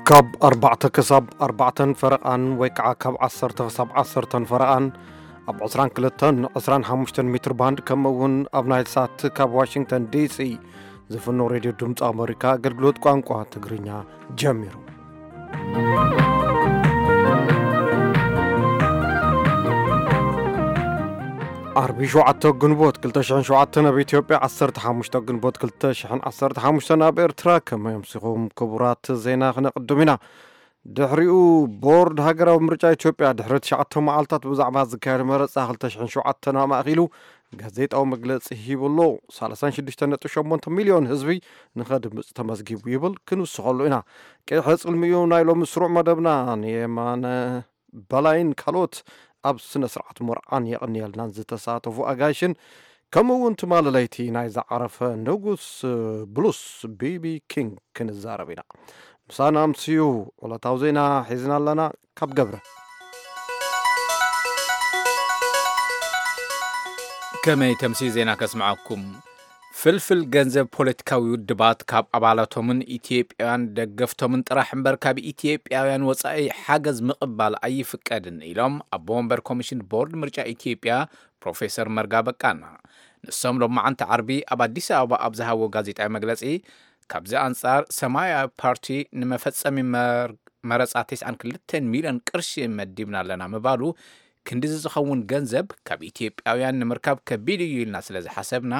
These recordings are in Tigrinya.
ካብ ኣርባዕተ ክሳብ ኣርባዕተን ፈረቓን ወይ ከዓ ካብ ዓሰርተ ክሳብ ዓሰርተን ፈረቓን ኣብ ዕስራን ክልተን ዕስራን ሓሙሽተን ሜትር ባንድ፣ ከምኡ እውን ኣብ ናይል ሳት ካብ ዋሽንግተን ዲሲ ዝፍኖ ሬድዮ ድምፂ ኣመሪካ ኣገልግሎት ቋንቋ ትግርኛ ጀሚሩ። ዓርቢ ሸውዓተ ግንቦት ክልተ ሽሕን ሸውዓተን ኣብ ኢትዮጵያ፣ ዓሰርተ ሓሙሽተ ግንቦት ክልተ ሽሕን ዓሰርተ ሓሙሽተን ኣብ ኤርትራ። ከመይ ኣምሲኹም ክቡራት? ዜና ክነቕድም ኢና። ድሕሪኡ፣ ቦርድ ሃገራዊ ምርጫ ኢትዮጵያ ድሕሪ ትሽዓተ መዓልታት ብዛዕባ ዝካየድ መረጻ ክልተ ሽሕን ሸውዓተን ኣማእኪሉ ጋዜጣዊ መግለጺ ሂቡ ኣሎ። ሰላሳን ሽዱሽተን ነጥቢ ሸሞንተ ሚልዮን ህዝቢ ንኸድምጽ ተመዝጊቡ ይብል። ክንውስኸሉ ኢና። ቀይሐ ጽልሚኡ ናይ ሎሚ ስሩዕ መደብና ንየማነ በላይን ካልኦት ኣብ ስነ ስርዓት መርዓን የቕንየልናን ዝተሳተፉ ኣጋይሽን፣ ከምኡ እውን ትማሊ ለይቲ ናይ ዝዓረፈ ንጉስ ብሉስ ቢቢ ኪንግ ክንዛረብ ኢና። ምሳና ኣምስዩ ዕለታዊ ዜና ሒዝና ኣለና። ካብ ገብረ። ከመይ ተምሲ ዜና ከስምዓኩም። ፍልፍል ገንዘብ ፖለቲካዊ ውድባት ካብ ኣባላቶምን ኢትዮጵያውያን ደገፍቶምን ጥራሕ እምበር ካብ ኢትዮጵያውያን ወጻኢ ሓገዝ ምቕባል ኣይፍቀድን ኢሎም ኣቦ ወንበር ኮሚሽን ቦርድ ምርጫ ኢትዮጵያ ፕሮፌሰር መርጋ በቃና። ንሶም ሎማዓንቲ ዓርቢ ኣብ ኣዲስ ኣበባ ኣብ ዝሃቦ ጋዜጣዊ መግለጺ፣ ካብዚ ኣንጻር ሰማያዊ ፓርቲ ንመፈጸሚ መር-፣ መረጻ ተስዓን ክልተን ሚልዮን ቅርሺ መዲብና ኣለና ምባሉ፣ ክንድዚ ዝኸውን ገንዘብ ካብ ኢትዮጵያውያን ንምርካብ ከቢድ እዩ ኢልና ስለ ዝሓሰብና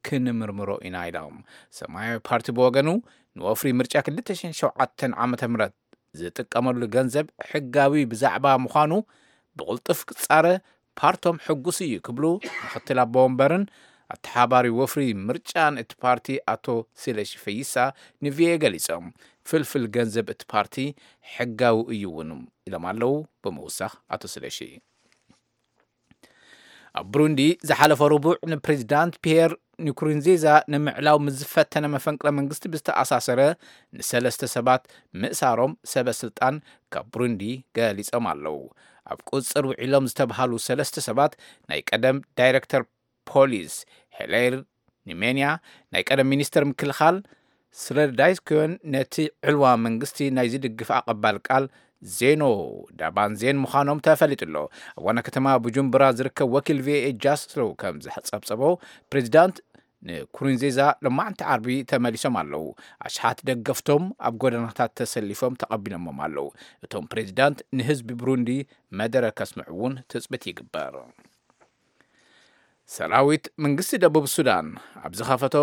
ክንምርምሮ ኢና ኢሎም። ሰማያዊ ፓርቲ ብወገኑ፣ ንወፍሪ ምርጫ ክልተ ሽሕን ሸውዓተን ዓመተ ምህረት ዝጥቀመሉ ገንዘብ ሕጋዊ ብዛዕባ ምዃኑ ብቕልጡፍ ክጻረ ፓርቶም ሕጉስ እዩ ክብሉ ምክትል ኣቦ ወንበርን ኣተሓባሪ ወፍሪ ምርጫን እቲ ፓርቲ ኣቶ ስለሺ ፈይሳ ንቪኦኤ ገሊጾም። ፍልፍል ገንዘብ እቲ ፓርቲ ሕጋዊ እዩ እውን ኢሎም ኣለዉ ብምውሳኽ ኣቶ ስለሺ። ኣብ ብሩንዲ ዝሓለፈ ረቡዕ ንፕሬዚዳንት ፒየር ንኩሩንዚዛ ንምዕላው ምስ ዝፈተነ መፈንቅለ መንግስቲ ብዝተኣሳሰረ ንሰለስተ ሰባት ምእሳሮም ሰበ ስልጣን ካብ ብሩንዲ ገሊጾም ኣለዉ። ኣብ ቁጽጽር ውዒሎም ዝተብሃሉ ሰለስተ ሰባት ናይ ቀደም ዳይረክተር ፖሊስ ሄሌር ኒሜንያ፣ ናይ ቀደም ሚኒስተር ምክልኻል ስረዳይስኮን ነቲ ዕልዋ መንግስቲ ናይ ዝድግፍ ኣቐባል ቃል ዜኖ ዳባንዜን ምዃኖም ተፈሊጡ ኣሎ። ኣብ ዋና ከተማ ቡጁምቡራ ዝርከብ ወኪል ቪኦኤ ጃስሎ ከም ዝጸብጸቦ፣ ፕሬዚዳንት ንኩሩንዚዛ ሎማዕንቲ ዓርቢ ተመሊሶም ኣለዉ። ኣሽሓት ደገፍቶም ኣብ ጎደናታት ተሰሊፎም ተቐቢሎሞም ኣለዉ። እቶም ፕሬዚዳንት ንህዝቢ ብሩንዲ መደረ ከስምዑ እውን ትጽቢት ይግበር። ሰራዊት መንግስቲ ደቡብ ሱዳን ኣብ ዝኸፈቶ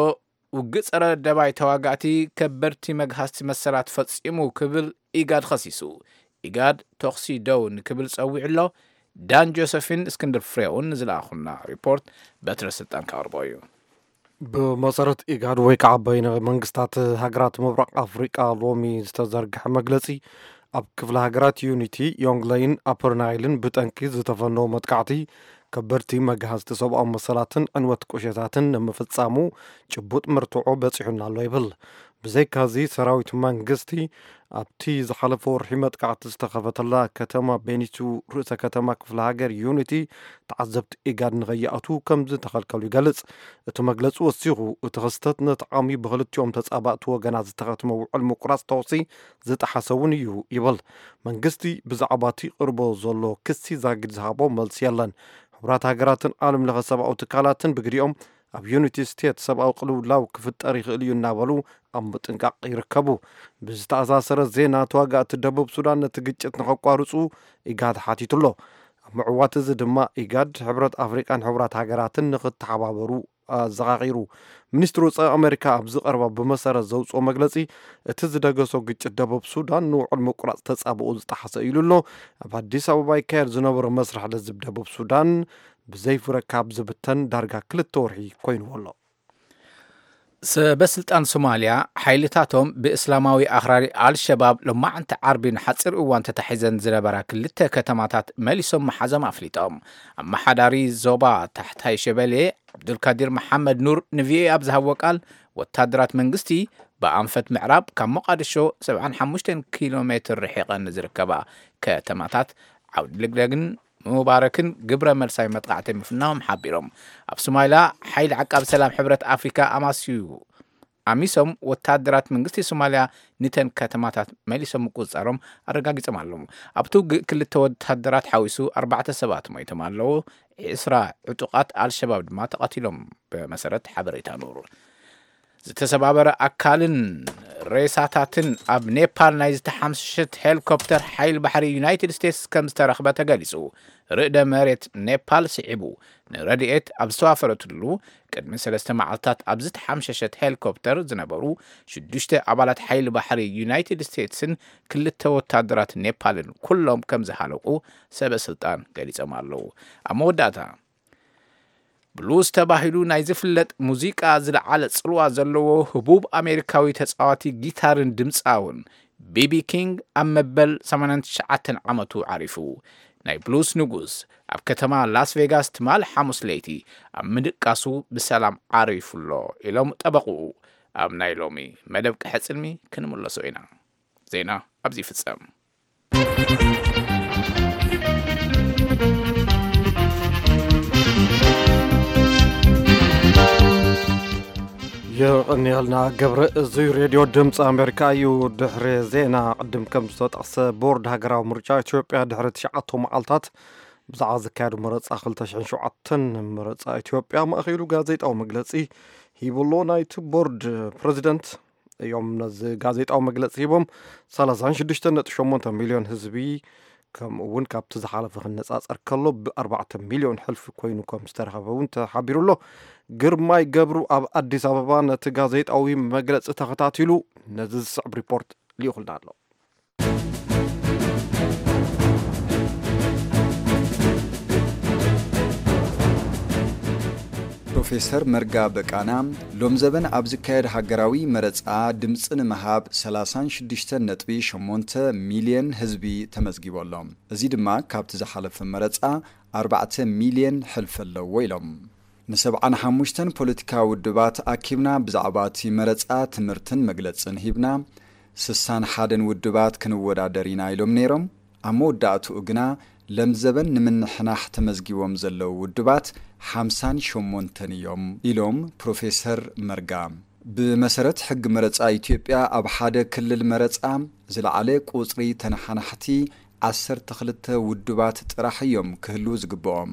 ውግእ ጸረ ደባይ ተዋጋእቲ ከበድቲ መግሃስቲ መሰላት ፈጺሙ ክብል ኢጋድ ኸሲሱ። ኢጋድ ተኹሲ ደው ንክብል ጸዊዑ ኣሎ። ዳን ጆሰፊን እስክንድር ፍሬውን ንዝለኣኹና ሪፖርት በትረ ስልጣን ከቕርቦ እዩ። ብመሰረት ኢጋድ ወይ ከዓ በይነ መንግስታት ሃገራት ምብራቕ ኣፍሪቃ ሎሚ ዝተዘርግሐ መግለጺ፣ ኣብ ክፍለ ሃገራት ዩኒቲ፣ ዮንግለይን ኣፐር ናይልን ብጠንቂ ዝተፈነወ መጥቃዕቲ ከበድቲ መግሃስቲ ሰብኣዊ መሰላትን ዕንወት ቁሸታትን ንምፍጻሙ ጭቡጥ መርትዖ በጺሑና ኣሎ ይብል። ብዘይካዚ ሰራዊት መንግስቲ ኣብቲ ዝሓለፈ ወርሒ መጥቃዕቲ ዝተኸፈተላ ከተማ ቤኒቱ፣ ርእሰ ከተማ ክፍለ ሃገር ዩኒቲ፣ ተዓዘብቲ ኢጋድ ንኸይኣትዉ ከም ዝተኸልከሉ ይገልጽ። እቲ መግለጺ ወሲኹ፣ እቲ ክስተት ነቲ ዓሚ ብክልቲኦም ተጻባእቲ ወገናት ዝተኸትመ ውዕል ምቁራጽ ተኹሲ ዝጠሓሰ እውን እዩ ይብል። መንግስቲ ብዛዕባ እቲ ይቕርቦ ዘሎ ክሲ ዛጊድ ዝሃቦ መልሲ የለን። ሕቡራት ሃገራትን ዓለም ለኸ ሰብኣዊ ትካላትን ብግዲኦም ኣብ ዩኒቲ ስቴት ሰብኣዊ ቅልውላው ክፍጠር ይኽእል እዩ እናበሉ ኣብ ምጥንቃቕ ይርከቡ። ብዝተኣሳሰረ ዜና፣ ተዋጋእቲ ደቡብ ሱዳን ነቲ ግጭት ንኸቋርጹ ኢጋድ ሓቲቱ ኣሎ። ኣብ ምዕዋት እዚ ድማ ኢጋድ፣ ሕብረት ኣፍሪቃን ሕቡራት ሃገራትን ንኽተሓባበሩ ኣዘኻኺሩ። ሚኒስትሪ ወጻኢ ኣሜሪካ ኣብዚ ቀረባ ብመሰረት ዘውፅኦ መግለፂ፣ እቲ ዝደገሶ ግጭት ደቡብ ሱዳን ንውዕል ምቁራፅ ተፃብኦ ዝጠሓሰ ኢሉ ኣሎ። ኣብ ኣዲስ ኣበባ ይካየድ ዝነበረ መስርሕ ለዝብ ደቡብ ሱዳን ብዘይፍረ ካብ ዝብተን ዳርጋ ክልተ ወርሒ ኮይንዎ ኣሎ። ሰበ ስልጣን ሶማልያ፣ ሓይልታቶም ብእስላማዊ ኣኽራሪ ኣልሸባብ ሎማዕንቲ ዓርቢ ንሓፂር እዋን ተታሒዘን ዝነበራ ክልተ ከተማታት መሊሶም ምሓዞም ኣፍሊጦም። ኣመሓዳሪ ዞባ ታሕታይ ሸበሌ ዓብዱልካዲር መሓመድ ኑር ንቪኦኤ ኣብ ዝሃብዎ ቃል፣ ወታደራት መንግስቲ ብኣንፈት ምዕራብ ካብ ሞቃዲሾ ሰብዓን ሓሙሽተን ኪሎ ሜትር ርሒቐን ንዝርከባ ከተማታት ዓውዲ ልግደግን ምባረክን ግብረ መልሳዊ መጥቃዕቲ ምፍናዎም ሓቢሮም። ኣብ ሶማልያ፣ ሓይሊ ዓቃቢ ሰላም ሕብረት ኣፍሪካ ኣማስዩ ኣሚሶም ወታደራት መንግስቲ ሶማልያ ንተን ከተማታት መሊሶም ምቁጽጻሮም ኣረጋጊጾም ኣለዉ። ኣብቲ ውግእ ክልተ ወታደራት ሓዊሱ ኣርባዕተ ሰባት ሞይቶም ኣለዉ። ዕስራ ዕጡቓት ኣልሸባብ ድማ ተቐቲሎም፣ ብመሰረት ሓበሬታ ኑር። ዝተሰባበረ ኣካልን ሬሳታትን ኣብ ኔፓል ናይ ዝተሓምሸሸት ሄሊኮፕተር ሓይሊ ባሕሪ ዩናይትድ ስቴትስ ከም ዝተረኽበ ተገሊጹ። ርእደ መሬት ኔፓል ስዒቡ ንረድኤት ኣብ ዝተዋፈረትሉ ቅድሚ ሰለስተ መዓልታት ኣብ ዝተሓምሸሸት ሄሊኮፕተር ዝነበሩ ሽዱሽተ ኣባላት ሓይሊ ባሕሪ ዩናይትድ ስቴትስን ክልተ ወታደራት ኔፓልን ኩሎም ከም ዝሃለቁ ሰበ ስልጣን ገሊጾም ኣለዉ። ኣብ መወዳእታ ብሉዝ ተባሂሉ ናይ ዝፍለጥ ሙዚቃ ዝለዓለ ጽልዋ ዘለዎ ህቡብ ኣሜሪካዊ ተጻዋቲ ጊታርን ድምጻውን ቢቢ ኪንግ ኣብ መበል ሰማንያን ትሽዓተን ዓመቱ ዓሪፉ። ናይ ብሉዝ ንጉስ ኣብ ከተማ ላስ ቬጋስ ትማል ሓሙስ ለይቲ ኣብ ምድቃሱ ብሰላም ዓሪፉ ኣሎ ኢሎም ጠበቕኡ ኣብ ናይ ሎሚ መደብ ቀሕጽልሚ ክንምለሶ ኢና። ዜና ኣብዚ ይፍጸም። የቐንየልና ገብረ። እዚ ሬድዮ ድምፂ ኣሜሪካ እዩ። ድሕሪ ዜና ቅድም ከም ዝተጠቕሰ ቦርድ ሃገራዊ ምርጫ ኢትዮጵያ ድሕሪ ትሽዓተ መዓልታት ብዛዕባ ዝካየዱ መረፃ ክልተ ሽሕን ሸውዓተን መረፃ ኢትዮጵያ ማእኸሉ ጋዜጣዊ መግለፂ ሂብሎ። ናይቲ ቦርድ ፕሬዚደንት እዮም ነዚ ጋዜጣዊ መግለፂ ሂቦም። ሰላሳን ሽዱሽተን ነጥቢ ሸሞንተ ሚልዮን ህዝቢ ከምኡ እውን ካብቲ ዝሓለፈ ክነፃፀር ከሎ ብኣርባዕተ ሚልዮን ሕልፊ ኮይኑ ከም ዝተረኸበ እውን ተሓቢሩ ኣሎ። ግርማይ ገብሩ ኣብ ኣዲስ ኣበባ ነቲ ጋዜጣዊ መግለፂ ተኸታቲሉ ነዚ ዝስዕብ ሪፖርት ልኢኹልና ኣሎ። ፕሮፌሰር መርጋ በቃና ሎም ዘበን ኣብ ዝካየድ ሃገራዊ መረፃ ድምፂ ንምሃብ ሰላሳን ሽዱሽተን ነጥቢ ሸሞንተ ሚልዮን ህዝቢ ተመዝጊቡ ኣሎ። እዚ ድማ ካብቲ ዝሓለፈ መረፃ ኣርባዕተ ሚልዮን ሕልፊ ኣለዎ ኢሎም። ንሰብዓን ሓሙሽተን ፖለቲካዊ ውድባት ኣኪብና ብዛዕባ እቲ መረፃ ትምህርትን መግለፅን ሂብና፣ ስሳን ሓደን ውድባት ክንወዳደር ኢና ኢሎም ነይሮም። ኣብ መወዳእትኡ ግና ለምዘበን ንምንሕናሕ ተመዝጊቦም ዘለዉ ውድባት ሓምሳን ሸሞንተን እዮም ኢሎም ፕሮፌሰር መርጋ። ብመሰረት ሕጊ መረፃ ኢትዮጵያ ኣብ ሓደ ክልል መረፃ ዝለዓለ ቁፅሪ ተነሓናሕቲ ዓሰርተ ክልተ ውድባት ጥራሕ እዮም ክህልዉ ዝግብኦም።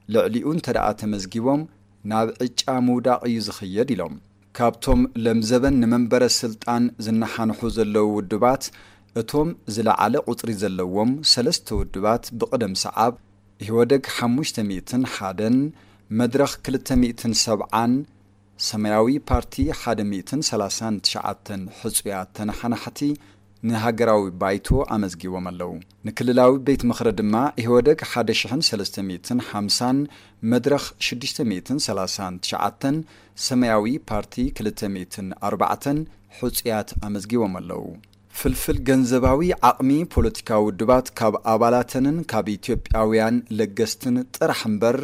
ልዕሊኡ እንተ ደኣ ተመዝጊቦም ናብ ዕጫ ምውዳቕ እዩ ዝኽየድ ኢሎም። ካብቶም ለምዘበን ንመንበረ ስልጣን ዝነሓንሑ ዘለዉ ውድባት እቶም ዝለዓለ ቁፅሪ ዘለዎም ሰለስተ ውድባት ብቕደም ሰዓብ ኢህወደግ ሓሙሽተ ሚእትን ሓደን፣ መድረኽ ክልተ ሚእትን ሰብዓን፣ ሰማያዊ ፓርቲ ሓደ ሚእትን ሰላሳን ትሽዓተን ሕጹያት ተነሓናሕቲ ንሃገራዊ ባይቶ ኣመዝጊቦም ኣለዉ። ንክልላዊ ቤት ምኽሪ ድማ ኢህወደግ ሓደ ሽሕን ሰለስተ ሚእትን ሓምሳን፣ መድረኽ ሽዱሽተ ሚእትን ሰላሳን ትሽዓተን፣ ሰማያዊ ፓርቲ ክልተ ሚእትን ኣርባዕተን ሕጹያት ኣመዝጊቦም ኣለዉ። ፍልፍል ገንዘባዊ ዓቕሚ ፖለቲካዊ ውድባት ካብ ኣባላተንን ካብ ኢትዮጵያውያን ለገስትን ጥራሕ እምበር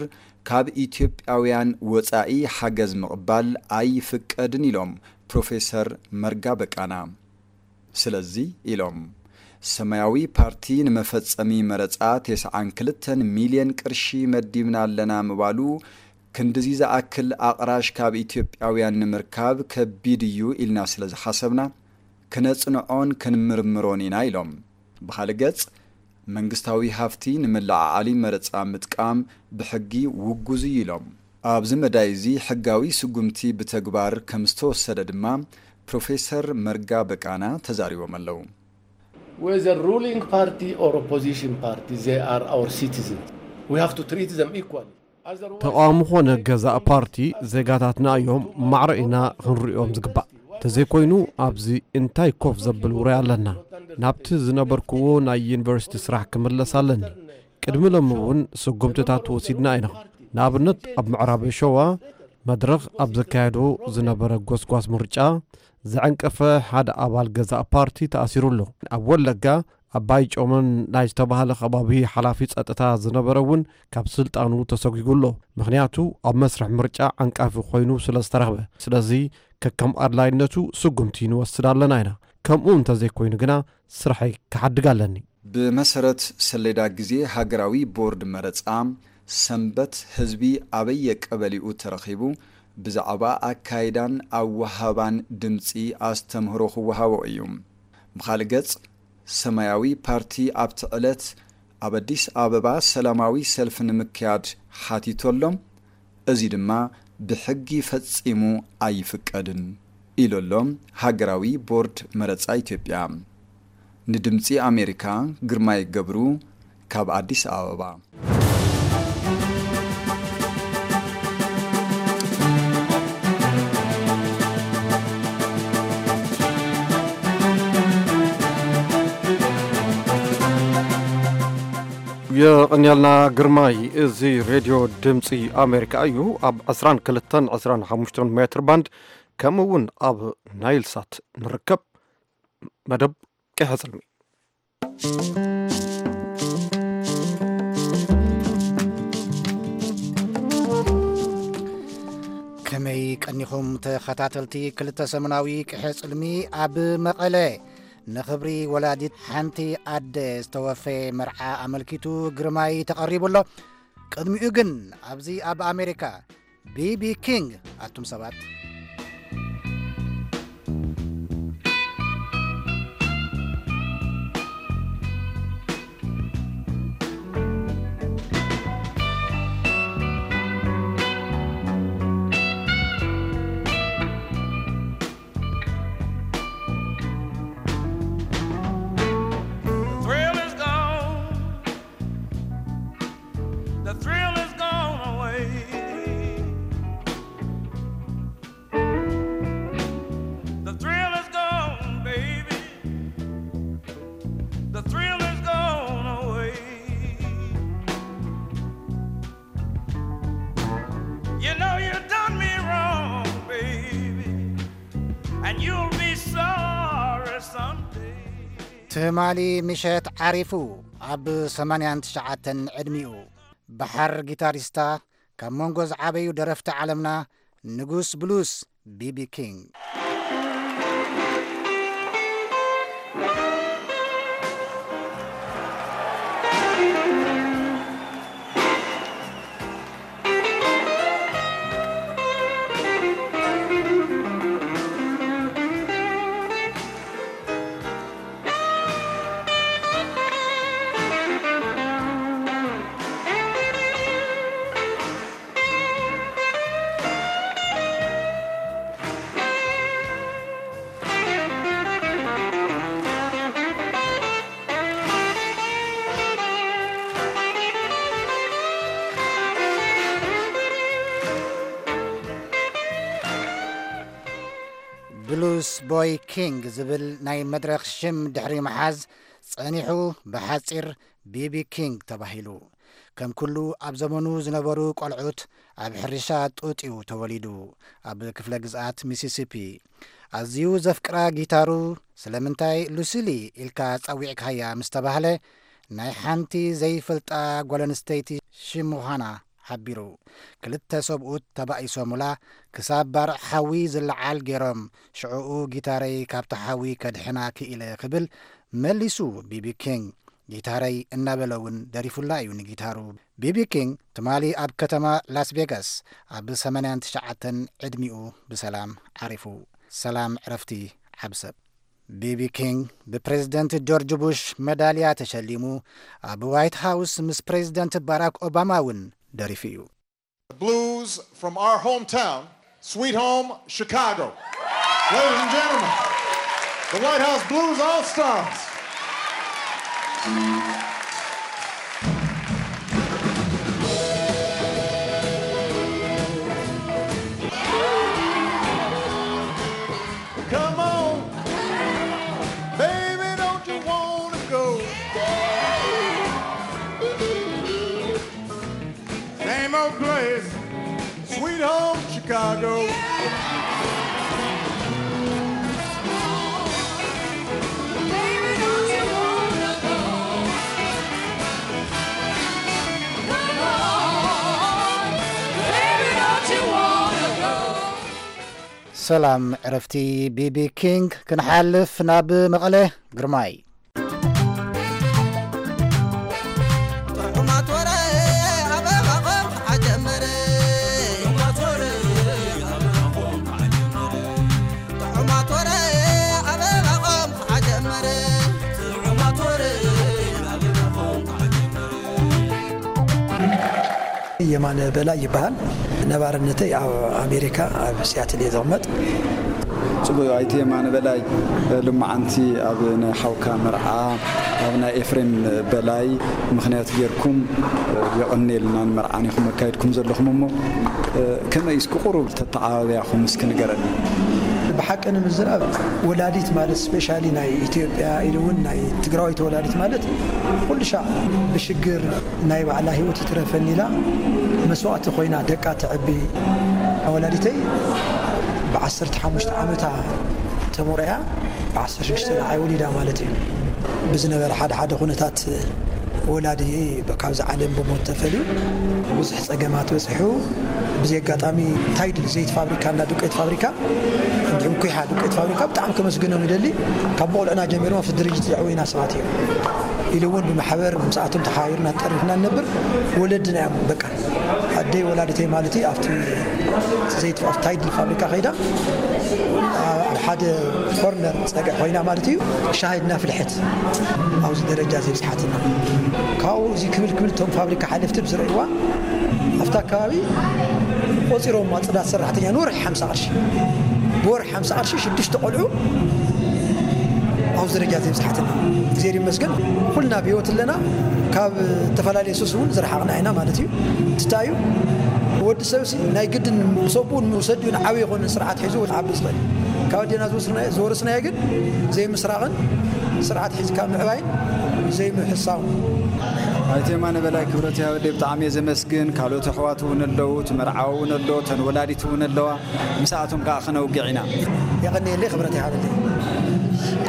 ካብ ኢትዮጵያውያን ወጻኢ ሓገዝ ምቕባል ኣይፍቀድን ኢሎም ፕሮፌሰር መርጋ በቃና። ስለዚ ኢሎም ሰማያዊ ፓርቲ ንመፈጸሚ መረጻ ተስዓን ክልተን ሚልዮን ቅርሺ መዲብና ኣለና ምባሉ ክንድዚ ዝኣክል ኣቕራሽ ካብ ኢትዮጵያውያን ንምርካብ ከቢድ እዩ ኢልና ስለ ዝሓሰብና ክነጽንዖን ክንምርምሮን ኢና ኢሎም። ብኻልእ ገጽ መንግስታዊ ሃፍቲ ንምልዕዓሊ መረጻ ምጥቃም ብሕጊ ውጉዝ እዩ ኢሎም። ኣብዚ መዳይ እዚ ሕጋዊ ስጉምቲ ብተግባር ከም ዝተወሰደ ድማ ፕሮፌሰር መርጋ በቃና ተዛሪቦም ኣለዉ። Whether ruling party or opposition party, they are our citizens. We have to treat them equally. Otherwise, ተቓዋሚ ኾነ ገዛእ ፓርቲ ዜጋታትና እዮም፣ ማዕረ ኢና ክንርእዮም ዝግባእ። ተዘይኮይኑ ኣብዚ እንታይ ኮፍ ዘብል ውራይ ኣለና? ናብቲ ዝነበርክዎ ናይ ዩኒቨርሲቲ ስራሕ ክምለስ ኣለኒ። ቅድሚ ሎሚ እውን ስጉምትታት ወሲድና ኢና። ንኣብነት ኣብ ምዕራብ ሸዋ መድረኽ ኣብ ዘካየዶ ዝነበረ ጎስጓስ ምርጫ ዘዐንቀፈ ሓደ ኣባል ገዛእ ፓርቲ ተኣሲሩ ኣሎ። ኣብ ወለጋ ኣባይ ጮመን ናይ ዝተባህለ ከባቢ ሓላፊ ጸጥታ ዝነበረ እውን ካብ ስልጣኑ ተሰጒጉ ኣሎ። ምኽንያቱ ኣብ መስርሕ ምርጫ ዓንቃፊ ኮይኑ ስለ ዝተረኽበ። ስለዚ ከከም ኣድላይነቱ ስጉምቲ ንወስድ ኣለና ኢና። ከምኡ እንተዘይኮይኑ ግና ስርሐይ ክሓድግ ኣለኒ። ብመሰረት ሰሌዳ ግዜ ሃገራዊ ቦርድ መረጻ ሰንበት ህዝቢ ኣበየ ቀበሊኡ ተረኺቡ ብዛዕባ ኣካይዳን ኣወሃባን ድምጺ ኣስተምህሮ ክወሃቦ እዩ። ብኻልእ ገጽ፣ ሰማያዊ ፓርቲ ኣብቲ ዕለት ኣብ ኣዲስ ኣበባ ሰላማዊ ሰልፊ ንምክያድ ሓቲቱ ኣሎ። እዚ ድማ ብሕጊ ፈጺሙ ኣይፍቀድን ኢሉ ኣሎ ሃገራዊ ቦርድ መረጻ ኢትዮጵያ። ንድምጺ ኣሜሪካ ግርማይ ገብሩ ካብ ኣዲስ ኣበባ። የቐንያልና ግርማይ። እዚ ሬድዮ ድምፂ ኣሜሪካ እዩ። ኣብ ዕስራን ክልተን ዕስራን ሓሙሽተን ሜትር ባንድ ከምኡ እውን ኣብ ናይል ሳት ንርከብ። መደብ ቅሐ ጽልሚ። ከመይ ቀኒኹም ተኸታተልቲ ክልተ ሰሙናዊ ቅሐ ጽልሚ ኣብ መቐለ? ንኽብሪ ወላዲት ሓንቲ ኣደ ዝተወፈየ መርዓ ኣመልኪቱ ግርማይ ተቐሪቡ ኣሎ። ቅድሚኡ ግን ኣብዚ ኣብ ኣሜሪካ ቢቢ ኪንግ ኣቱም ሰባት። The thrill is gone. The thrill is gone away. The thrill is gone, baby. The thrill is gone away. You know you done me wrong, baby, and you'll be sorry someday. ትማሊ ምሸት ዓሪፉ ኣብ ሰማንያን ትሽዓተን ዕድሚኡ ባሕር ጊታሪስታ ካብ መንጎ ዝዓበዩ ደረፍቲ ዓለምና ንጉስ ብሉስ ቢቢ ኪንግ። ብሉስ ቦይ ኪንግ ዝብል ናይ መድረኽ ሽም ድሕሪ ምሓዝ ጸኒሑ ብሓጺር ቢቢ ኪንግ ተባሂሉ። ከም ኩሉ ኣብ ዘመኑ ዝነበሩ ቆልዑት ኣብ ሕርሻ ጡጥ እዩ ተወሊዱ። ኣብ ክፍለ ግዝኣት ሚሲሲፒ ኣዝዩ ዘፍቅራ ጊታሩ ስለምንታይ ሉሲሊ ኢልካ ጸዊዕካያ ምስ ተባህለ ናይ ሓንቲ ዘይፈልጣ ጓል ኣንስተይቲ ሽም ምዃና ሓቢሩ። ክልተ ሰብኡት ተባኢሶሙላ ክሳብ ባርዕ ሓዊ ዝለዓል ገይሮም ሽዕኡ ጊታረይ ካብቲ ሓዊ ከድሕና ክኢለ ክብል መሊሱ ቢቢ ኪንግ። ጊታረይ እናበለ እውን ደሪፉላ እዩ ንጊታሩ። ቢቢ ኪንግ ትማሊ ኣብ ከተማ ላስ ቬጋስ ኣብ ሰማንያን ትሽዓተን ዕድሚኡ ብሰላም ዓሪፉ። ሰላም ዕረፍቲ ዓብ ሰብ። ቢቢ ኪንግ ብፕሬዝደንት ጆርጅ ቡሽ መዳልያ ተሸሊሙ ኣብ ዋይት ሃውስ ምስ ፕሬዝደንት ባራክ ኦባማ እውን ደሪፉ እዩ። The blues from our hometown, Sweet Home Chicago. Ladies and gentlemen, the White House Blues All Stars. Come on, baby, don't you wanna go? Same old place, Sweet Home Chicago. ሰላም ዕረፍቲ ቢቢ ኪንግ። ክንሓልፍ ናብ መቐለ። ጥዑማት ወረ ኣበባ ቆልዓ ጀመረ። ጥዑማት ወረ የማነ በላይ ይበሃል። ነባርነተይ ኣብ ኣሜሪካ ኣብ ሲያትል እየ ዝቕመጥ። ጽቡቅ። ኣይተ የማነ በላይ፣ ልማዓንቲ ኣብ ናይ ሓውካ መርዓ ኣብ ናይ ኤፍሬም በላይ ምኽንያት ጌርኩም የቐንየልና ንመርዓን ኢኹም ኣካይድኩም ዘለኹም እሞ ከመይ እስኪ ቁሩብ ተተዓባብያኹም እስኪ ንገረኒ። ብሓቂ ንምዝራብ ወላዲት ማለት ስፔሻሊ ናይ ኢትዮጵያ ኢሉ እውን ናይ ትግራዊት ወላዲት ማለት ኩሉ ሻዕ ብሽግር ናይ ባዕላ ህይወት ይትረፈኒ ኢላ መስዋእቲ ኮይና ደቃ ተዕቢ ወላዲተይ ብ15 ዓመታ ተሞሪያ ብ16 ንዓይ ወሊዳ ማለት እዩ። ብዝነበረ ሓደ ሓደ ኩነታት ወላዲ ካብዚ ዓለም ብሞት ተፈልዩ ብዙሕ ፀገማት በፂሑ ብዘይ ኣጋጣሚ ታይድል ዘይት ፋብሪካ እና ዱቄት ፋብሪካ እንዲሁም ኩሓ ዱቄት ፋብሪካ ብጣዕሚ ከመስግኖም ይደሊ። ካብ መቑልዕና ጀሚሮም ኣብቲ ድርጅት ዘዕወይና ሰባት እዮም ኢሉ እውን ብማሕበር ምስኣቶም ተሓባቢርና ተጠሪፍና ንነብር ወለድና እዮም በቃ ኣደይ ወላዲተይ ማለት እዩ ኣብቲ ዘይት ኣብቲ ታይድል ፋብሪካ ከይዳ ኣብ ሓደ ኮርነር ፀግዒ ኮይና ማለት እዩ ሻሂ ድና ፍልሐት ኣብዚ ደረጃ ዘብፅሓትና ካብኡ እዚ ክብል ክብል እቶም ፋብሪካ ሓለፍቲ ብዝርእይዋ ኣብታ ከባቢ ቆፂሮም ፅዳት ሰራሕተኛ ንወርሒ ሓምሳ ቅርሺ ብወርሒ ሓምሳ ቅርሺ ሽዱሽተ ቆልዑ ኣብዚ ደረጃ ዘብፅሓትና እግዚኣብሔር ይመስገን ኩልና ብህይወት ኣለና ካብ ዝተፈላለየ ሱስ እውን ዝረሓቕና ኢና ማለት እዩ ትታዩ ወዲ ሰብ ናይ ግድን ሰብኡ ንውሰድ እዩ ንዓብይ ይኮነ ስርዓት ሒዙ ዓቢ ዝኽእል ካብ ኣዴና ዝወረስናዮ ግን ዘይምስራቕን ስርዓት ሒዝካ ምዕባይን ዘይምሕሳው ኣይቴማ ነበላይ ክብረት ያወደ ብጣዕሚ እየ ዘመስግን ካልኦት ኣሕዋት እውን ኣለዉ ትመርዓዊ እውን ኣሎ ተን ወላዲት እውን ኣለዋ ምስኣቶም ከዓ ክነውግዕ ኢና የቐንየለይ ክብረት ይሃበለይ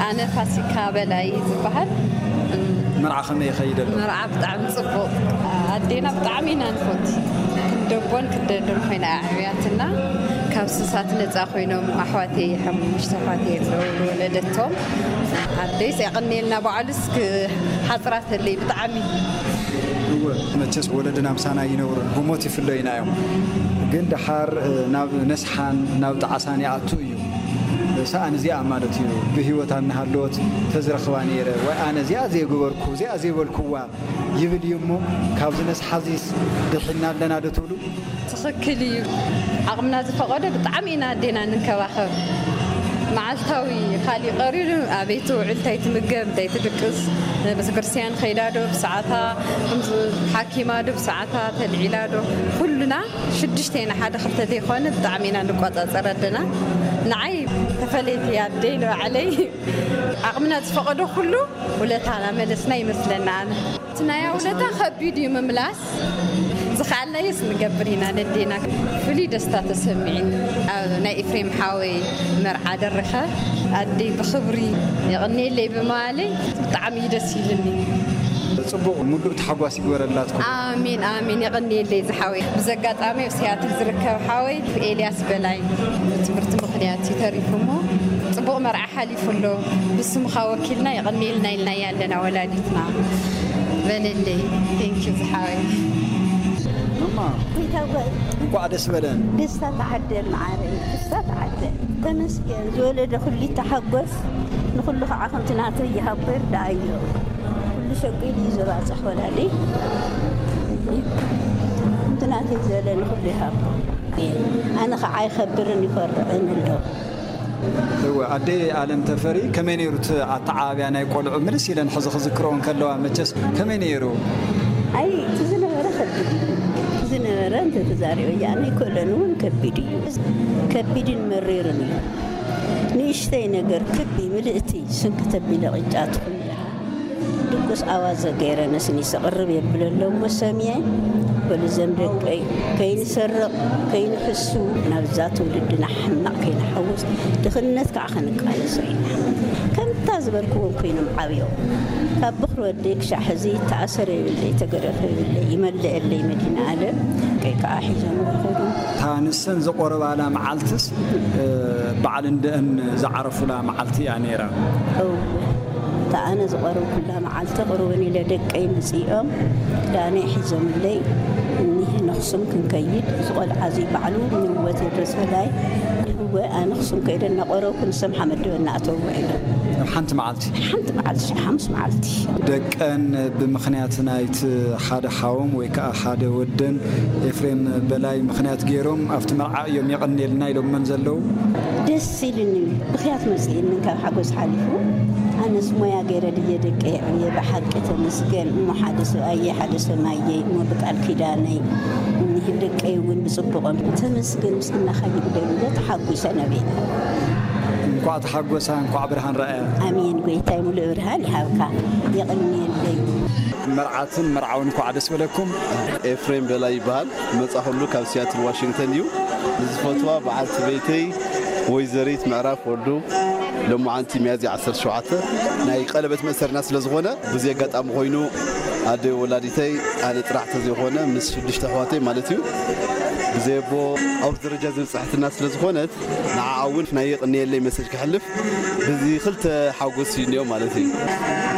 ኣነ ፋሲካ በላይ ዝበሃል መርዓ ከመይ ይኸይድ ኣሎ መርዓ ብጣዕሚ ፅቡቅ ኣዴና ብጣዕሚ ኢና ንፈት ክንደቦን ክደዶን ኮይና ኣዕብያትና ካብ ስሳት ነፃ ኮይኖም ኣሕዋተይ ሓሙሽተ ኣሕዋተይ ኣለዉ ዝወለደቶም ኣደይስ የቐንየልና በዓሉስ ሓፅራተለይ ብጣዕሚ እወ መቸስ ወለድና ምሳና ይነብሩን ብሞት ይፍለዩና እዮም ግን ደሓር ናብ ነስሓን ናብ ጣዕሳን ይኣቱ እዩ ሰኣን እዚኣ ማለት እዩ ብህይወት ኣናሃለወት ተዝረኽባ ነይረ ወይ ኣነ እዚኣ ዘይገበርኩ እዚኣ ዘይበልኩዋ ይብል እዩ እሞ ካብዚ ነስሓዚስ ድሒና ኣለና ዶ ትብሉ ትኽክል እዩ። ዓቕምና ዝፈቐዶ ብጣዕሚ ኢና ኣዴና ንንከባኸብ። መዓልታዊ ካሊእ ቀሪሩ ኣበይ ትውዕል፣ እንታይ ትምገብ፣ እንታይ ትድቅስ፣ ቤተክርስትያን ከይዳ ዶ ብሰዓታ፣ ሓኪማ ዶ ብሰዓታ፣ ተልዒላ ዶ፣ ኩሉና ሽዱሽተ ኢና፣ ሓደ ክልተ ዘይኮነ ብጣዕሚ ኢና ንቆፃፀር ኣደና። ንዓይ ተፈለይቲ ኣደይ ንባዕለይ ዓቕምና ዝፈቐዶ ኩሉ ውለታ ናመለስና ይመስለና ኣነ። እቲ ናይ ውለታ ከቢድ እዩ ምምላስ። ዝኸኣልናዮስ ንገብር ኢና ነዴና። ፍሉይ ደስታ ተሰሚዕኒ ኣብ ናይ ኤፍሬም ሓወይ መርዓ ደርኸ ኣደይ ብኽብሪ የቐንየለይ ብምባለይ ብጣዕሚ እዩ ደስ ኢልኒ። ፅቡቕ ሙሉእ ተሓጓስ ይግበረላትኩም። ኣሜን ኣሜን የቐንየለይ ዝሓወይ። ብዚ ኣጋጣሚ ኣብ ሲያትል ዝርከብ ሓወይ ኤልያስ በላይ ብትምህርቲ ምኽንያት እዩ ተሪፉ እሞ ፅቡቕ መርዓ ሓሊፉ ኣሎ። ብስምኻ ወኪልና የቐንየልና ኢልናያ ኣለና ወላዲትና። በለለይ ቴንኪዩ ዝሓወይ እማ እንኳዕ ደስ በለን ደስታ ተዓደል መዓረይ ደስታ ተዓደል ተመስገን ዝወለደ ኩሉ ይተሓጎስ ንኩሉ ከዓ ከምቲ ናተይ ይሃቦ ይርዳኣዮ ኩሉ ሸቂሉ እዩ ዘባፅሕ ወላዲ ከምቲ ናተይ ዝበለ ንኩሉ ይሃቦ ኣነ ከዓ ኣይኸብርን ይኮርዕን ኣለኹ እወ ኣደይ ኣለም ተፈሪ ከመይ ነይሩ እቲ ኣተዓባብያ ናይ ቆልዑ ምልስ ኢለን ሕዚ ክዝክረኦ እንከለዋ መቸስ ከመይ ነይሩ? ኣይ እቲ ዝነበረ ከቢድ እዩ እቲ ዝነበረ እንተተዛሪበያ ኣነ ኣይክእሎን እውን ከቢድ እዩ ከቢድን መሪርን እዩ ንእሽተይ ነገር ክቢ ምልእቲ ስንቂ ተቢለ ቅጫ ትኹን ድቁስ ኣዋዘ ገይረ ነስኒሰ ቅርብ የብለሎም ወሰምየ በሉ ዘም ደቀይ ከይንሰርቕ ከይንሕሱ ናብዛ ትውልድና ሕማቕ ከይንሓውስ ድኽነት ከዓ ክንቃለሶ ኢና። ከምታ ዝበልክዎም ኮይኖም ዓብዮም ካብ ብኽሪ ወደይ ክሻዕ ሕዚ ተኣሰረ ይብለይ ተገረፈ ይብለይ ይመልአለይ መዲና ዓለም ቀይ ከዓ ሒዞም ይኸዱ። እታ ንሰን ዝቆረባላ መዓልትስ በዓል እንደአን ዝዓረፉላ መዓልቲ እያ ነይራ። እወ እታ ኣነ ዝቐረብኩላ መዓልቲ ቅርብን ኢለ ደቀይ መፂኦም ክዳነይ ሒዞምለይ እኒሀ ነኽሱም ክንከይድ እዚ ቆልዓ እዚ ባዕሉ ንእወ ቴድሮስ በላይ እወ ኣነ ኣኽሱም ከይደ እናቆረብኩ ንሶም ሓመድ ድበ እናእተዉ ውዒሎም። ሓንቲ መዓልቲ። ሓንቲ መዓልቲ፣ ሓሙስ መዓልቲ። ደቀን ብምኽንያት ናይቲ ሓደ ሓዎም ወይ ከዓ ሓደ ወደን ኤፍሬም በላይ ምኽንያት ገይሮም ኣብቲ መርዓ እዮም የቐንየልና ኢሎመን ዘለዉ። ደስ ኢልኒ፣ ብኽያት መፅእኒ ካብ ሓጎስ ሓሊፉ። ኣነስ ሞያ ገይረ ድየ ደቀ የዕብየ፣ ብሓቂ ተመስገን። እሞ ሓደ ሰብኣየ ሓደ ሰማየ እሞ ብቃል ኪዳነይ ደቀይ እውን ብፅቡቆም ተመስገን ምስግናኻ ይግበል ኢለ ተሓጒሰ ነቢዐ። እንኳዕ ተሓጎሳ እንኳዕ ብርሃን ረኣያ። ኣሜን ጎይታይ ሙሉእ ብርሃን ይሃብካ። የቕንየለይ። መርዓትን መርዓውን እንኳዕ ደስ በለኩም። ኤፍሬም በላይ ይበሃል። መጻኹሉ ካብ ሲያትል ዋሽንግተን እዩ። ንዝፈትዋ በዓልቲ ቤተይ ወይዘሪት ምዕራፍ ወልዱ ሎማዓንቲ ሚያዝያ ዓሰርተ ሸውዓተ ናይ ቀለበት መእሰርና ስለ ዝኾነ ብዚ ኣጋጣሚ ኮይኑ ኣደ ወላዲተይ ኣነ ጥራሕ ተዘይኮነ ምስ ሽዱሽተ ኣሕዋተይ ማለት እዩ ብዘየቦ ኣብዚ ደረጃ ዝበፅሐትና ስለ ዝኾነት ንዓኣ እውን ናይ የቕንየለይ መሰጅ ከሕልፍ ብዚ ክልተ ሓጎስ እዩ እኒኦ ማለት እዩ።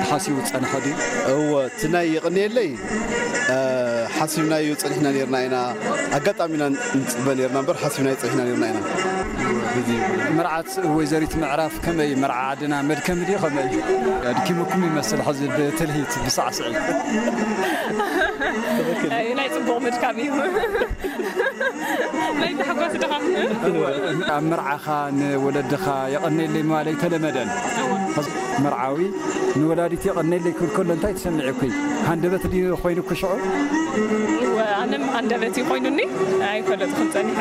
ተሓሲቡ ዝፀንሐ ድዩ? እወ እቲ ናይ የቕንየለይ ሓሲብናዮ ፀኒሕና ነርና ኢና። ኣጋጣሚና ንፅበ ነርና እምበር ሓሲብናዮ ፀኒሕና ነርና ኢና። መርዓት ወይዘሪት ምዕራፍ ከመይ መርዓ ዓድና መድከሚ ድዩ ከመይ? ኣድኪሙኩም ይመስል ሕዚ ብትልሂት ብሳዕስዒት። ናይ ፅቡቕ ምድካም እዩ። ናይ ታሕጓስ ድኻ? ኣብ መርዓኻ ንወለድኻ የቐነየለይ ምባል ኣይተለመደን። መርዓዊ ንወላዲት የቐነየለይ ክብል ከሎ እንታይ ተሰሚዑኪ? ሃንደበት ድዩ ኮይኑኪ ሽዑ? ኣነም ሃንደበት እዩ ኮይኑኒ ኣይፈለጥኩን ፀኒሐ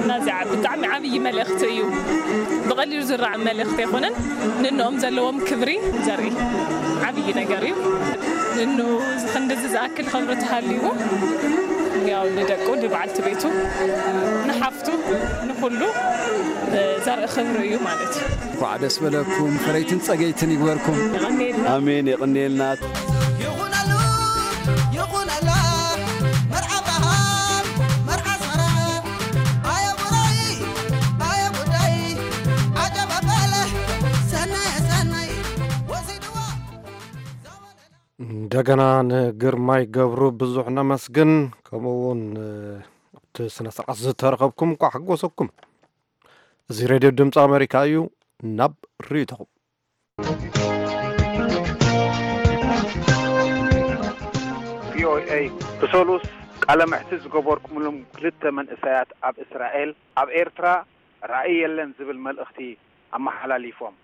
እና እዚኣ ብጣዕሚ ዓብዪ መልእኽቲ እዩ። ብቐሊሉ ዝረኣ መልእኽቲ ኣይኮነን። ንእንኦም ዘለዎም ክብሪ ዘርኢ ዓብዪ ነገር እዩ። ንእኑ ክንድዚ ዝኣክል ክብሪ ተሃልይዎ ያው ንደቁ ንበዓልቲ ቤቱ ንሓፍቱ ንኩሉ ዘርኢ ክብሪ እዩ ማለት እዩ። እንኳዕ ደስ በለኩም ፈረይትን ጸገይትን ይግበርኩም። ኣሜን የቐንየልና። ይኹነሉ ይኹነላ መርዓ በሃል መርዓ ሰራ ኣየ ጉዳይ ኣየ ጉዳይ ዓጀብ ኣበለ ሰናየ ሰናይ ወሲድዋ እንደገና ንግርማይ ገብሩ ብዙሕ ነመስግን። ከምኡ እውን ኣብቲ ስነ ስርዓት ዝተረኸብኩም እንኳዕ ሓጎሰኩም። እዚ ሬድዮ ድምፂ ኣሜሪካ እዩ። ናብ ርእይቶኹም። ቪኦኤ ብሰሉስ ቃለ መሕትት ዝገበርኩምሎም ክልተ መንእሰያት ኣብ እስራኤል ኣብ ኤርትራ ራእይ የለን ዝብል መልእኽቲ ኣመሓላሊፎም።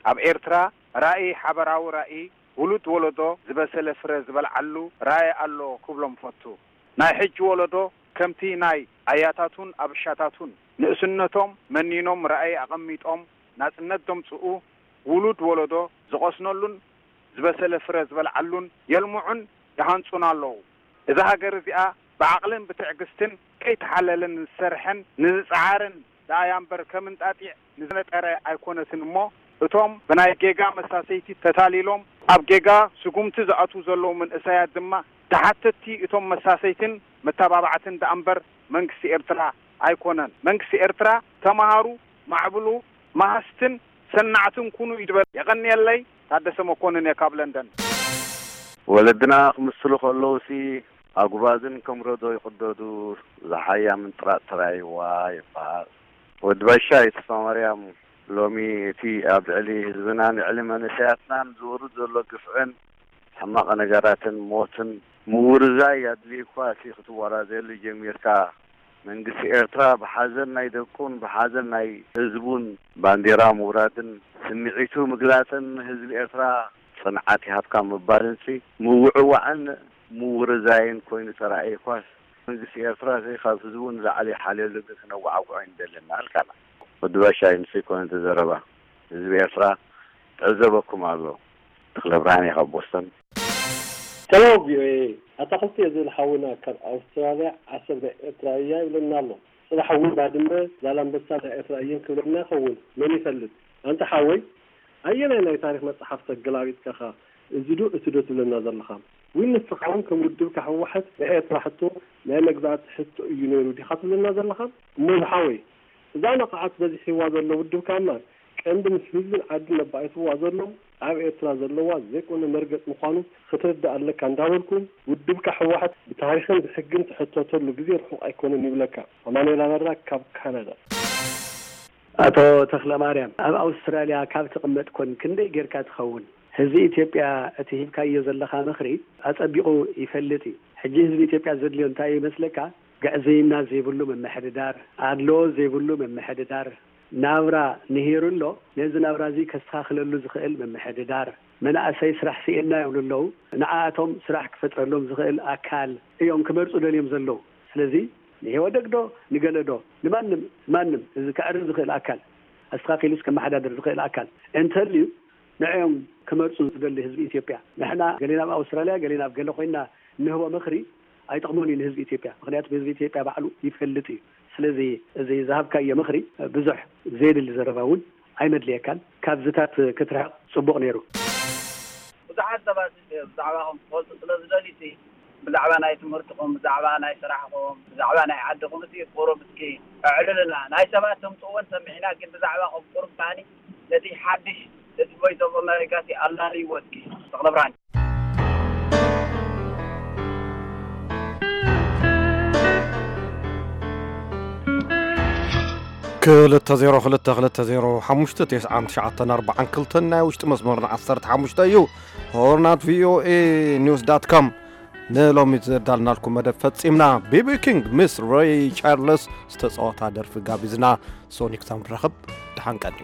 ኣብ ኤርትራ ራእይ ሓበራዊ ራእይ ውሉድ ወለዶ ዝበሰለ ፍረ ዝበልዓሉ ራእይ ኣሎ ክብሎም ፈቱ። ናይ ሕጂ ወለዶ ከምቲ ናይ ኣያታቱን ኣብሻታቱን ንእስነቶም መኒኖም ራእይ ኣቐሚጦም ናጽነት ዘምጽኡ ውሉድ ወለዶ ዝቐስነሉን ዝበሰለ ፍረ ዝበልዓሉን የልምዑን ይሃንጹን ኣለዉ። እዛ ሃገር እዚኣ ብዓቕልን ብትዕግስትን ከይተሓለለን ንዝሰርሐን ንዝጸዓረን ደኣያ እምበር ከም እንጣጢዕ ንዝነጠረ ኣይኮነትን እሞ እቶም ብናይ ጌጋ መሳሰይቲ ተታሊሎም ኣብ ጌጋ ስጉምቲ ዝኣትዉ ዘለዉ መንእሰያት ድማ ተሓተትቲ እቶም መሳሰይትን መተባባዕትን ደኣ እምበር መንግስቲ ኤርትራ ኣይኮነን። መንግስቲ ኤርትራ ተማሃሩ፣ ማዕብሉ፣ መሃዝትን ሰናዕትን ኩኑ ይበል። የቐንየለይ። ታደሰ መኮንን እየ ካብ ለንደን። ወለድና ክምስሉ ከለውሲ ኣጉባዝን ከም ረዶ ይቕደዱ፣ ዝሓያ ምንጥራጥ ተራይዋ ይበሃል። ወዲ ባሻ ተስፋማርያም ሎሚ እቲ ኣብ ልዕሊ ህዝብናን ልዕሊ መንእሰያትናን ዝወርድ ዘሎ ግፍዕን ሕማቕ ነገራትን ሞትን ምውርዛይ ኣድልዩኳ እቲ ክትወራዘየሉ ጀሚርካ መንግስቲ ኤርትራ ብሓዘን ናይ ደቁን ብሓዘን ናይ ህዝቡን ባንዴራ ምውራድን ስምዒቱ ምግላጽን ንህዝቢ ኤርትራ ጽንዓት ይሃብካ ምባልን ሲ ምውዕዋዕን ምውርዛይን ኮይኑ ተራእየኳስ መንግስቲ ኤርትራ ሲ ካብ ህዝቡ ንላዕሊ ይሓልየሉ ግን ክነወዓውዖ ኣይንደልን ኣልካና። ወዲ ባሻይ ንሱ ኣይኮነን እቲ ዘረባ ህዝቢ ኤርትራ ትዕዘበኩም ኣሎ። ተኽለብርሃን እየ ካብ ቦስተን። ሰላም ቪኦኤ፣ ኣታ ክልተ እየ ዝብል ሓውና ካብ ኣውስትራልያ ዓሰብ ናይ ኤርትራ እያ ይብለና ኣሎ። ጽባሕ እውን ባድመ ዛላምበሳ ናይ ኤርትራ እየን ክብለና ይኸውን መን ይፈልጥ። ኣንታ ሓወይ ኣየናይ ናይ ታሪኽ መጽሓፍ ተገላቢጥካኻ እዚ ዶ እቲ ዶ ትብለና ዘለኻ? ዊን ንስኻ እውን ከም ውድብካ ህወሓት ናይ ኤርትራ ሕቶ ናይ መግዛእቲ ሕቶ እዩ ነይሩ ዲኻ ትብለና ዘለኻ? እሞ ዝሓወይ እዛ ነቓዓት በዚሕዋ ዘሎ ውድብካ እምበር ቀንዲ ምስ ህዝብን ዓድን ነባኢትዋ ዘሎ ኣብ ኤርትራ ዘለዋ ዘይኮነ መርገጽ ምዃኑ ክትርዳእ ኣለካ እንዳበልኩ ውድብካ ህወሓት ብታሪኽን ብሕግን ትሕተተሉ ግዜ ርሑቕ ኣይኮነን ይብለካ። ኣማኑኤል ኣበራ ካብ ካናዳ። ኣቶ ተኽለማርያም፣ ኣብ ኣውስትራልያ ካብ ትቕመጥ ኮን ክንደይ ጌርካ ትኸውን? ህዝቢ ኢትዮጵያ እቲ ሂብካዮ ዘለኻ ምኽሪ ኣጸቢቑ ይፈልጥ እዩ። ሕጂ ህዝቢ ኢትዮጵያ ዘድልዮ እንታይ እዩ ይመስለካ? ግዕዝይና ዘይብሉ ምምሕድዳር፣ ኣድልዎ ዘይብሉ ምምሕድዳር፣ ናብራ ንሂሩ ኣሎ። ነዚ ናብራ እዚ ከስተኻኽለሉ ዝኽእል ምምሕድዳር፣ መናእሰይ ስራሕ ስኢንና ይብሉ ኣለዉ። ንዓኣቶም ስራሕ ክፈጥረሎም ዝኽእል ኣካል እዮም ክመርጹ ደልዮም ዘለዉ። ስለዚ ንኢህወደግ ዶ ንገለ ዶ ንማንም ማንም እዚ ከዕርፍ ዝኽእል ኣካል ኣስተኻኺሉስ ከመሓዳድር ዝኽእል ኣካል እንተልዩ ንዕኦም ክመርጹ ዝደሊ ህዝቢ ኢትዮጵያ። ንሕና ገሌና ኣብ ኣውስትራልያ ገሌና ኣብ ገለ ኮይንና እንህቦ ምኽሪ ኣይጠቕሞን እዩ ንህዝቢ ኢትዮጵያ። ምኽንያቱ ህዝቢ ኢትዮጵያ ባዕሉ ይፈልጥ እዩ። ስለዚ እዚ ዝሃብካዮ ምኽሪ ብዙሕ ዘየድሊ ዘረባ እውን ኣይመድልየካን። ካብዝታት ክትርሕቕ ጽቡቕ ነይሩ። ብዙሓት ሰባት ብዛዕባኹም ክፈልጡ ስለ ዝደልዩ፣ ብዛዕባ ናይ ትምህርትኹም፣ ብዛዕባ ናይ ስራሕኹም፣ ብዛዕባ ናይ ዓድኹም፣ እቲ ቁሩብ እስኪ ኣዕልልና። ናይ ሰባት ተምጽእዎን ሰሚዕና፣ ግን ብዛዕባኹም ቁሩብ ከኣኒ ነቲ ሓድሽ፣ ነቲ ቮይስ ኦፍ ኣሜሪካ እቲ ኣላልይዎ እስኪ። ተኽለ ብርሃን። ክልተ ዜሮ ክልተ ክልተ ዜሮ ሓሙሽተ ተስዓን ትሽዓተን ኣርባዓን ክልተን ናይ ውሽጢ መስመርና ዓሰርተ ሓሙሽተ እዩ። ሆርናት ቪኦኤ ኒውስ ዳት ኮም። ንሎሚ ዘዳልናልኩም መደብ ፈጺምና። ቢቢ ኪንግ ምስ ሬይ ቻርልስ ዝተጻወታ ደርፊ ጋቢዝና። ሶኒክ ሳም ንረኸብ። ደሓን ቀንዩ።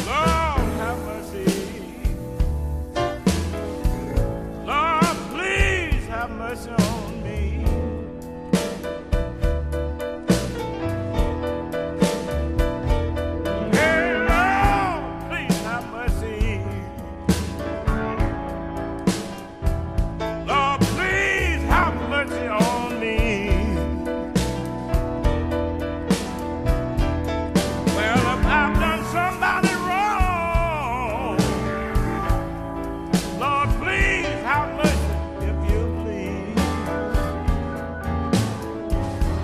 Lord, have mercy. Lord, please have mercy on me. Hey, Lord, please have mercy. Lord, please have mercy on me. Well, if I've done somebody wrong, Lord, please have mercy if you please.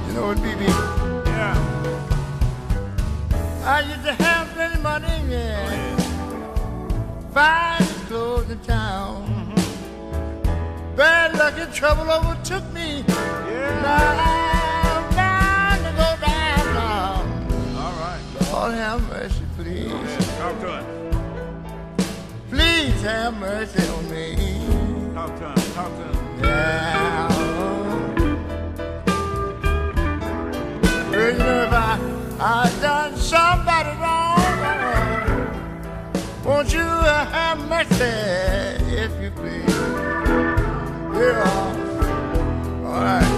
You know what, B B? Yeah. I used to have plenty money, yeah. Oh, yeah. Fine clothes in town. Mm-hmm. Bad luck and trouble overtook me. Yeah. Now I'm bound to go down now. All right. Lord have mercy, please. Go ahead. Talk to him. Please have mercy on me. Talk to him. Talk to him. Yeah. Well, you know, if I, I done somebody wrong, won't you, uh, have mercy if you please? Yeah. All right.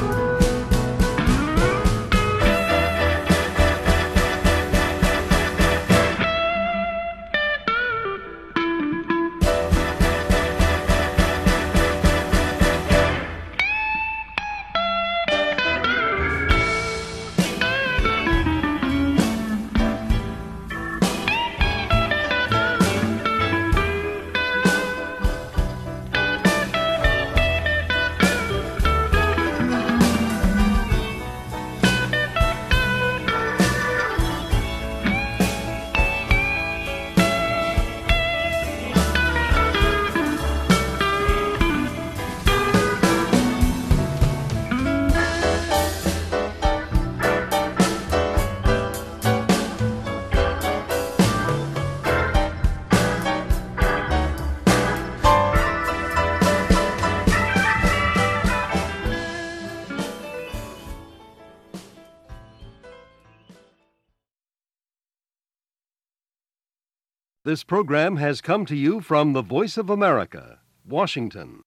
This program has come to you from the Voice of America, Washington.